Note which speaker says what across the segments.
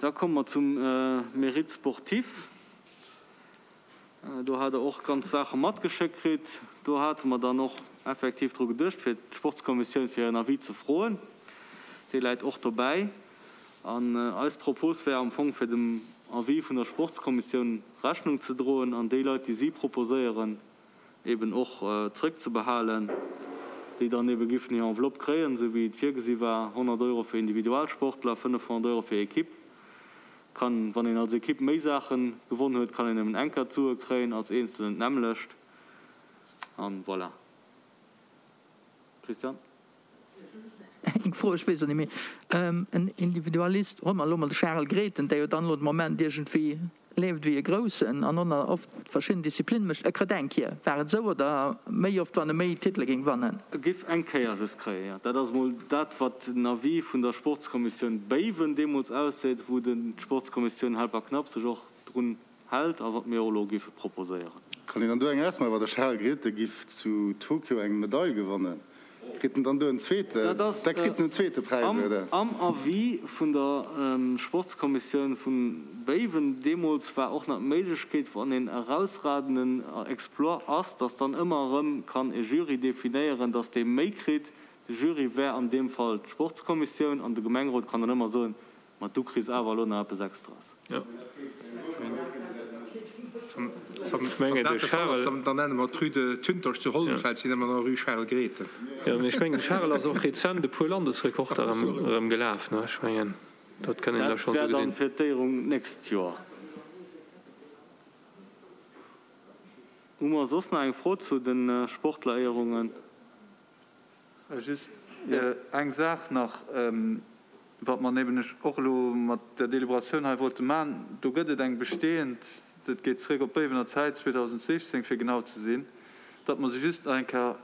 Speaker 1: Da komme mer zum Mérite sportif. Do hat Der och ganz Saache matgeschéckt kritt. Do hate mer dann och effektiv dru geduecht, fir d'Sportskommissioun fir en Avis ze froen. Dee läit och dobäi. An eis Propos wär am Fong, fir dem Avis vun der Sportskommissioun Rechnung ze droen an déi Leit, déi si proposéieren, eben och zrëckzebehalen, déi dann ebe giffen hir Enveloppe kréien, esou wéi et virgesi war, 100 Euro fir Individualsportler, 500 Euro fir Equipe. Kann, wann een als Equipe méi Saache gewonn huet, kann een nëmmen eng Kéier d'Sue kréien, als Eenzelen d'nämmlecht. An voilà. Christian?
Speaker 2: Eng Fro, ech weess et net méi. En Individualist, huele mer elo mol de Charel Grethen, dee jo dann elo de Moment iergendwéi leeft wéi e Groussen an och oft verschidden Disziplinne mécht, e kritt eng Kéier. War et esou oder méi oft, wann e méi Titele géing wannen?
Speaker 1: E géif eng Kéier just kréien, jo. Dat ass emol dat, wat den Avis vun der Sportskommissioun Béiwen deemools ausseet, wou d'Sportskommissioun Helperknapp sech och drun hält a wat mir och elo géife proposéieren.
Speaker 3: Kann een dann do eng ausmaachen, wa de Charel Grethen giff zu Tokio eng Medail gewannen, kritt en dann do en zweeten, da kritt en en zweete Präis, oder?
Speaker 1: Am Avis vun der Sportskommissioun vu Béiwen deemools war och nach d'Méiglechkeet, wann een erausragenden Exploit ass, datt dann ëmmer erëm kann e Jury definéieren, datt dee méi kritt. De Jury wär an deem Fall d'Sportskommissioun an de Gemengerot kann dann ëmmer soen, Ma du kriss awer elo nach eppes Extras.
Speaker 4: Jo. Ech mengen, de Charel. Dann nenne mer d'Rue de Thüntersch zu Hollenfeld, si nenne mer dann Rue Charel Grethen. Jo, mee ech mengen, de Charel ass och rezent e puer Landesrekorder erëm gelaf, ne? Ech mengen, dat kann een da
Speaker 1: schonn esou
Speaker 4: gesinn.
Speaker 1: Dat wär dann fir d'Éierung d'nächst Joer. Hu mer soss nach eng Fro zu de Sportleréierungen?
Speaker 5: Just eng Saach nach, wat mer nämlech och elo mat där Deliberatioun hei wollte maachen, Do gëtt et eng bestehend, dat geet zréck op d'Béiwener Zäit, 2016 fir genau ze sinn, datt mer se just nach eng Kéier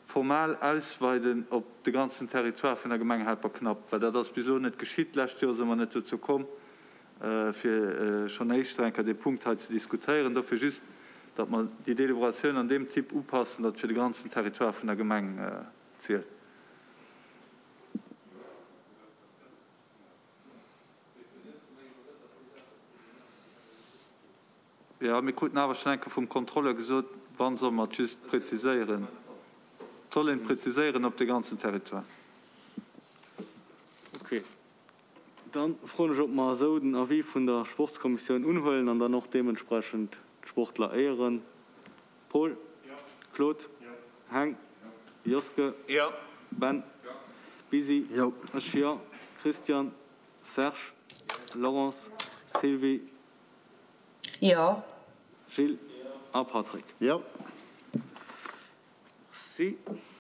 Speaker 5: formal ausweiden op de ganzen Territoire vun der Gemeng Helperknapp, well dat ass bis elo net geschitt. D'lescht Joer si mer net dozou komm, fir schonn éischter eng Kéier dee Punkt hei ze diskutéieren. Dofir just, datt mer déi Deliberatioun an deem Typ upassen, datt fir de ganzen Territoire vun der Gemeng zielt. Jo, mir kruten awer schonn eng Kéier vum Contrôleur gesot, wann solle mer et just präziséieren, et soll een et präziséieren op de ganzen Territoire.
Speaker 1: Okay. Dann froen ech, ob mer esou den Avis vun der Sportskommissioun unhuelen an dann och deementsprechend d'Sportler éieren. Paul? Claude? Heng? Joske? Ben? Bisi? Ech jo. Christian? Serge? Laurence? Sylvie?
Speaker 6: Jo.
Speaker 1: Gilles? A Patrick?
Speaker 3: Jo.
Speaker 1: Merci.